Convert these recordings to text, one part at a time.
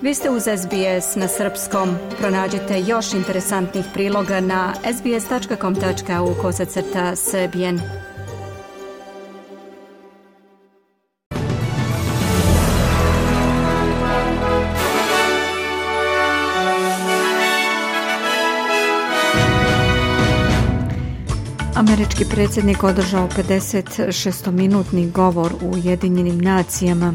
Vi ste uz SBS na srpskom. Pronađite još interesantnih priloga na sbs.com.au/srbijen. Američki predsjednik održao 56-minutni govor u Ujedinjenim nacijama.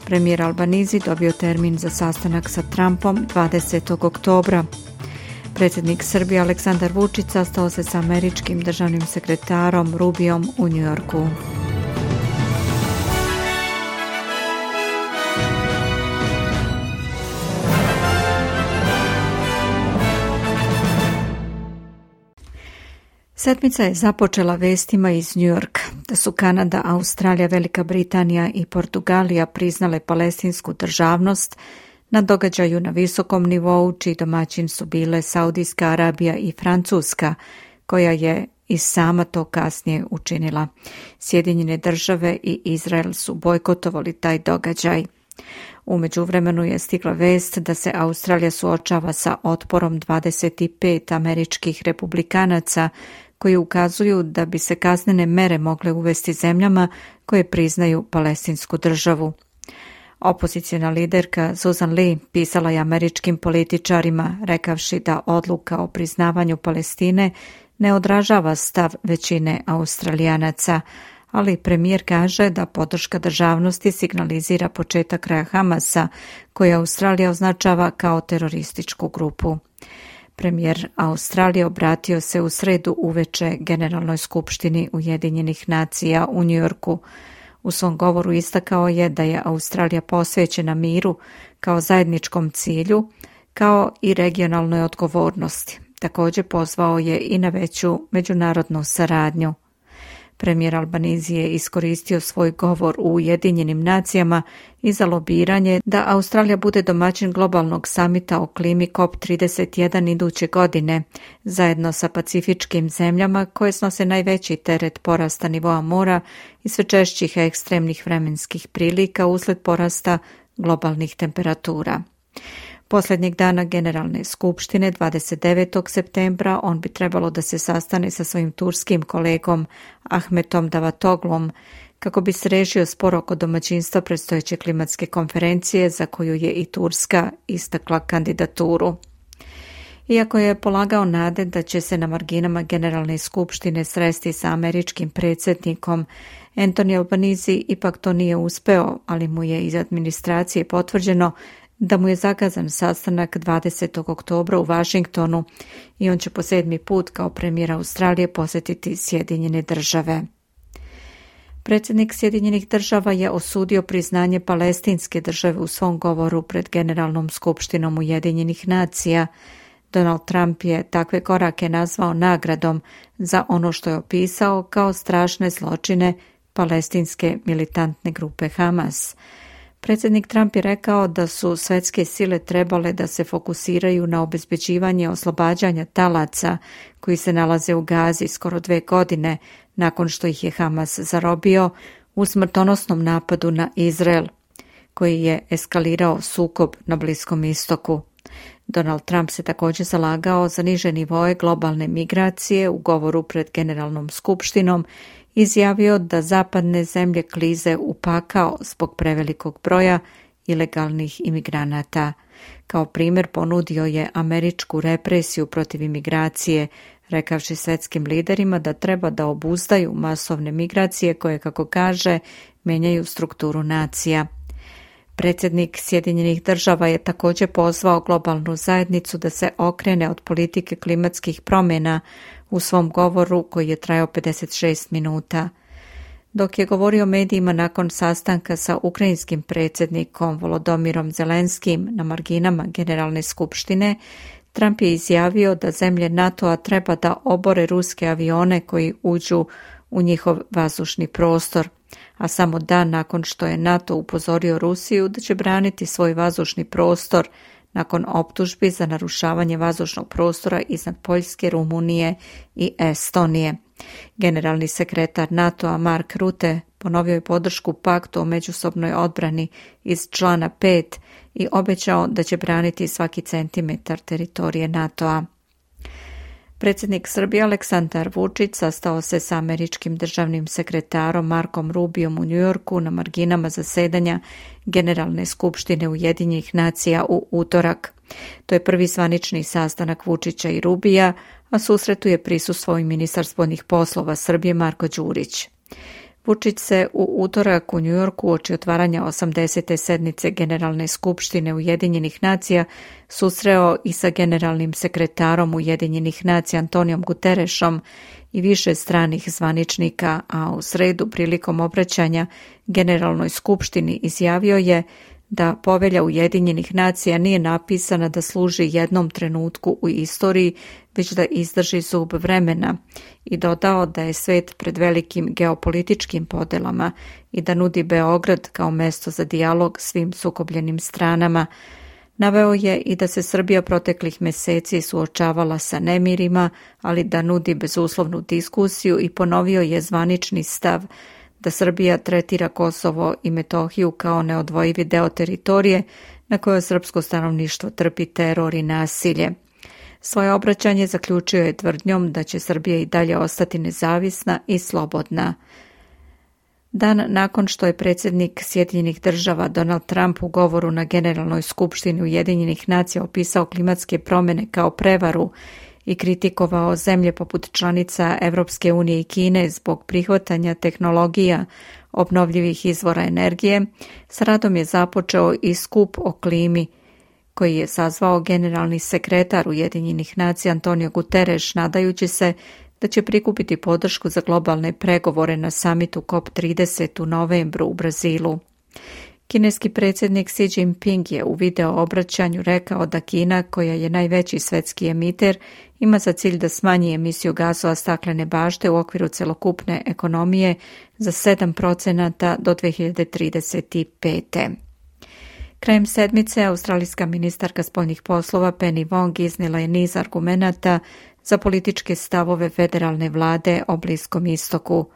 Premijer Albanizi dobio termin za sastanak sa Trumpom 20. oktobra. Predsjednik Srbije Aleksandar Vučić sastao se sa američkim državnim sekretarom Rubiom u Njujorku. Sedmica je započela vestima iz Njujorka da su Kanada, Australija, Velika Britanija i Portugalija priznale palestinsku državnost na događaju na visokom nivou, čiji domaćin su bile Saudijska Arabija i Francuska, koja je i sama to kasnije učinila. Sjedinjene države i Izrael su bojkotovali taj događaj. U međuvremenu je stigla vest da se Australija suočava sa otporom 25 američkih republikanaca koji ukazuju da bi se kaznene mere mogle uvesti zemljama koje priznaju palestinsku državu. Opoziciona liderka Susan Lee pisala je američkim političarima rekavši da odluka o priznavanju Palestine ne odražava stav većine Australijanaca, ali premijer kaže da podrška državnosti signalizira početak kraja Hamasa, koji Australija označava kao terorističku grupu. Premijer Australije obratio se u sredu uveče Generalnoj skupštini Ujedinjenih nacija u Njujorku. U svom govoru istakao je da je Australija posvećena miru kao zajedničkom cilju, kao i regionalnoj odgovornosti. Također pozvao je i na veću međunarodnu saradnju. Premijer Albanizi je iskoristio svoj govor u Ujedinjenim nacijama i za lobiranje da Australija bude domaćin globalnog samita o klimi COP31 iduće godine, zajedno sa pacifičkim zemljama koje snose najveći teret porasta nivoa mora i sve češćih ekstremnih vremenskih prilika usled porasta globalnih temperatura. Posljednjeg dana Generalne skupštine, 29. septembra, on bi trebalo da se sastane sa svojim turskim kolegom Ahmetom Davatoglom kako bi se rešio spor oko domaćinstva predstojeće klimatske konferencije za koju je i Turska istakla kandidaturu. Iako je polagao nade da će se na marginama Generalne skupštine sresti sa američkim predsjednikom, Anthony Albanese ipak to nije uspeo, ali mu je iz administracije potvrđeno da mu je zakazan sastanak 20. oktobra u Washingtonu i on će po 7. put kao premijer Australije posjetiti Sjedinjene države. Predsjednik Sjedinjenih država je osudio priznanje palestinske države u svom govoru pred Generalnom skupštinom Ujedinjenih nacija. Donald Trump je takve korake nazvao nagradom za ono što je opisao kao strašne zločine palestinske militantne grupe Hamas. Predsjednik Trump je rekao da su svetske sile trebale da se fokusiraju na obezbeđivanje oslobađanja talaca koji se nalaze u Gazi skoro 2 godine nakon što ih je Hamas zarobio u smrtonosnom napadu na Izrael, koji je eskalirao sukob na Bliskom istoku. Donald Trump se također zalagao za niže nivoe globalne migracije u govoru pred Generalnom skupštinom, izjavio da zapadne zemlje klize u pakao zbog prevelikog broja ilegalnih imigranata. Kao primjer ponudio je američku represiju protiv imigracije, rekavši svetskim liderima da treba da obuzdaju masovne migracije koje, kako kaže, menjaju strukturu nacija. Predsjednik Sjedinjenih država je također pozvao globalnu zajednicu da se okrene od politike klimatskih promjena u svom govoru koji je trajao 56 minuta. Dok je govorio medijima nakon sastanka sa ukrajinskim predsjednikom Volodomirom Zelenskim na marginama Generalne skupštine, Trump je izjavio da zemlje NATO-a treba da obore ruske avione koji uđu u njihov vazdušni prostor, a samo dan nakon što je NATO upozorio Rusiju da će braniti svoj vazdušni prostor nakon optužbi za narušavanje vazdušnog prostora iznad Poljske, Rumunije i Estonije. Generalni sekretar NATO-a Mark Rutte ponovio je podršku paktu o međusobnoj odbrani iz člana 5 i obećao da će braniti svaki centimetar teritorije NATO-a. Predsjednik Srbije Aleksandar Vučić sastao se sa američkim državnim sekretarom Markom Rubiom u Njujorku na marginama zasedanja Generalne skupštine Ujedinjenih nacija u utorak. To je prvi zvanični sastanak Vučića i Rubija, a susretu je prisustvovao i ministar spoljnih poslova Srbije Marko Đurić. Vučić se u utorak u Njujorku uoči otvaranja 80. sednice Generalne skupštine Ujedinjenih nacija susreo i sa generalnim sekretarom Ujedinjenih nacija Antonijom Guterešom i više stranih zvaničnika, a u sredu prilikom obraćanja Generalnoj skupštini izjavio je da povelja Ujedinjenih nacija nije napisana da služi jednom trenutku u istoriji, već da izdrži zub vremena, i dodao da je svet pred velikim geopolitičkim podelama i da nudi Beograd kao mesto za dijalog svim sukobljenim stranama. Naveo je i da se Srbija proteklih meseci suočavala sa nemirima, ali da nudi bezuslovnu diskusiju, i ponovio je zvanični stav da Srbija tretira Kosovo i Metohiju kao neodvojivi deo teritorije na kojoj srpsko stanovništvo trpi teror i nasilje. Svoje obraćanje zaključio je tvrdnjom da će Srbija i dalje ostati nezavisna i slobodna. Dan nakon što je predsjednik Sjedinjenih država Donald Trump u govoru na Generalnoj skupštini Ujedinjenih nacija opisao klimatske promjene kao prevaru i kritikovao zemlje poput članica Evropske unije i Kine zbog prihvatanja tehnologija obnovljivih izvora energije, s radom je započeo i skup o klimi koji je sazvao generalni sekretar Ujedinjenih nacija Antonio Guterres, nadajući se da će prikupiti podršku za globalne pregovore na samitu COP30 u novembru u Brazilu. Kineski predsjednik Xi Jinping je u video obraćanju rekao da Kina, koja je najveći svetski emiter, ima za cilj da smanji emisiju gasova staklene bašte u okviru celokupne ekonomije za 7% do 2035. Krajem sedmice, australijska ministarka spoljnih poslova Penny Wong iznijela je niz argumenata za političke stavove federalne vlade o Bliskom istoku.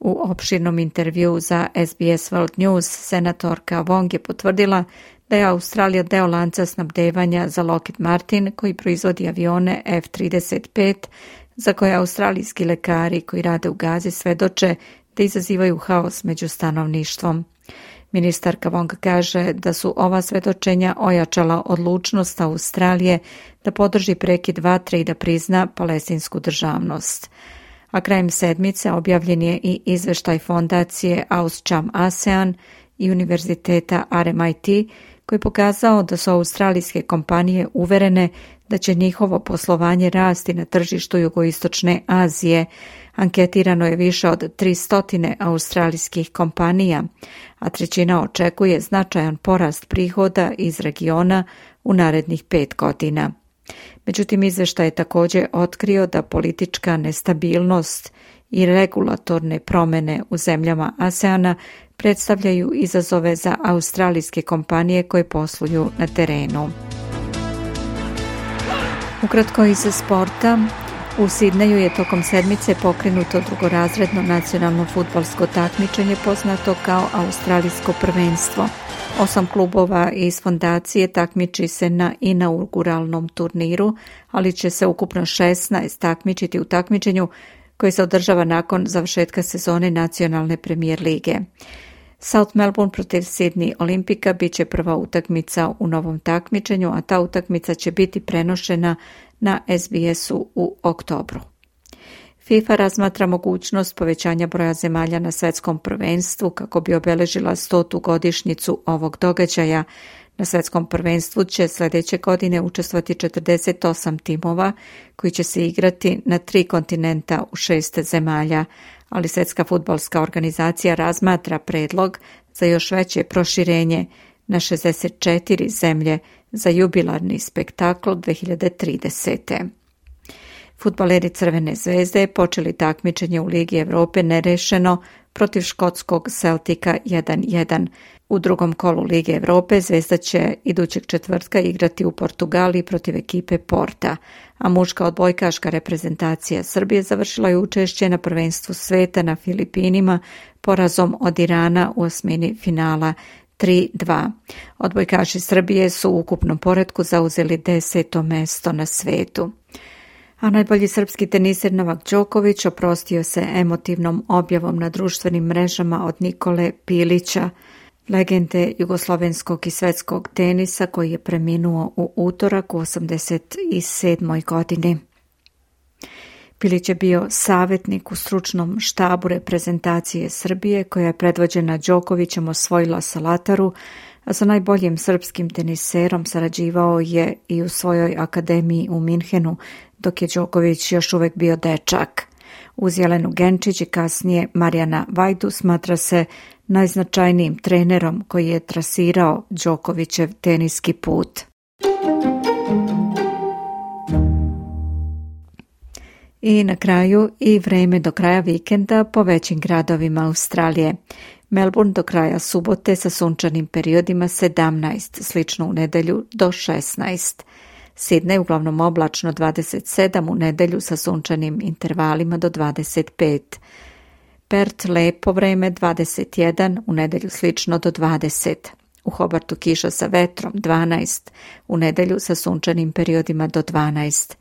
U opširnom intervjuu za SBS World News senatorka Wong je potvrdila da je Australija deo lanca snabdevanja za Lockheed Martin, koji proizvodi avione F-35, za koje australijski lekari koji rade u Gazi svedoče da izazivaju haos među stanovništvom. Ministarka Wong kaže da su ova svedočenja ojačala odlučnost Australije da podrži prekid vatre i da prizna palestinsku državnost. A krajem sedmice objavljen je i izveštaj fondacije AusCham ASEAN i univerziteta RMIT, koji je pokazao da su australijske kompanije uverene da će njihovo poslovanje rasti na tržištu jugoistočne Azije. Anketirano je više od 300 australijskih kompanija, a trećina očekuje značajan porast prihoda iz regiona u narednih 5 godina. Međutim, izveštaj je također otkrio da politička nestabilnost i regulatorne promjene u zemljama ASEANA predstavljaju izazove za australijske kompanije koje posluju na terenu. Ukratko iz sporta, u Sidneju je tokom sedmice pokrenuto drugorazredno nacionalno fudbalsko takmičenje poznato kao Australijsko prvenstvo. 8 klubova iz fondacije takmiči se na inauguralnom turniru, ali će se ukupno 16 takmičiti u takmičenju koji se održava nakon završetka sezone nacionalne premijer lige. South Melbourne protiv Sydney Olimpika bit će prva utakmica u novom takmičenju, a ta utakmica će biti prenošena na SBS-u u oktobru. FIFA razmatra mogućnost povećanja broja zemalja na svetskom prvenstvu kako bi obeležila 100. godišnjicu ovog događaja. Na svetskom prvenstvu će sljedeće godine učestvovati 48 timova koji će se igrati na 3 kontinenta u 6 zemalja, ali Svjetska fudbalska organizacija razmatra predlog za još veće proširenje na 64 zemlje za jubilarni spektakl 2030. Fudbaleri Crvene zvezde počeli takmičenje u Ligi Evrope nerešeno protiv škotskog Celtica 1-1. U drugom kolu Lige Evrope Zvezda će idućeg četvrtka igrati u Portugaliji protiv ekipe Porta, a muška odbojkaška reprezentacija Srbije završila je učešće na prvenstvu sveta na Filipinima porazom od Irana u osmini finala 3-2. Odbojkaši Srbije su u ukupnom poretku zauzeli 10. mesto na svetu. A najbolji srpski teniser Novak Đoković oprostio se emotivnom objavom na društvenim mrežama od Nikole Pilića, legende jugoslovenskog i svetskog tenisa koji je preminuo u utorak u 87. godini. Pilić je bio savjetnik u stručnom štabu reprezentacije Srbije koja je predvođena Đokovićem osvojila Salataru, a sa najboljim srpskim teniserom sarađivao je i u svojoj akademiji u Minhenu, dok je Đoković još uvek bio dečak. Uz Jelenu Genčić i kasnije Marijana Vajdu smatra se najznačajnijim trenerom koji je trasirao Đokovićev teniski put. I na kraju i vreme do kraja vikenda po većim gradovima Australije. Melbourne do kraja subote sa sunčanim periodima 17, slično u nedelju do 16. Sydney uglavnom oblačno 27, u nedelju sa sunčanim intervalima do 25. Perth lepo vreme 21, u nedelju slično do 20. U Hobartu kiša sa vetrom 12, u nedelju sa sunčanim periodima do 12.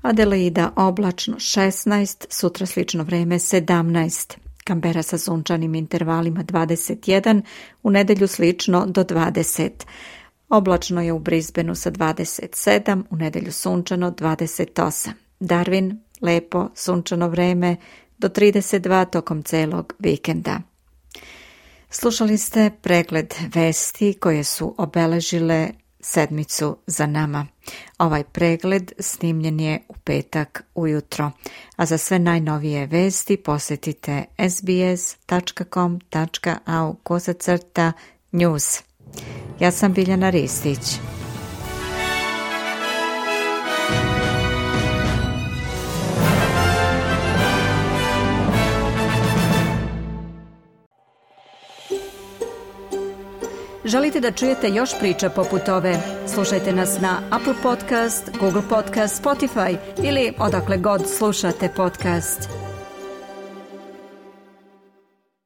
Adelaida oblačno 16, sutra slično vreme 17. Canberra sa sunčanim intervalima 21, u nedelju slično do 20. Oblačno je u Brisbaneu sa 27, u nedelju sunčano 28. Darwin, lepo, sunčano vreme do 32 tokom celog vikenda. Slušali ste pregled vesti koje su obeležile sedmicu za nama. Ovaj pregled snimljen je u petak ujutro, a za sve najnovije vesti posjetite sbs.com.au/news. Ja sam Biljana Ristić. Želite da čujete još priča poput ove? Slušajte nas na Apple Podcast, Google Podcast, Spotify ili odakle god slušate podcast.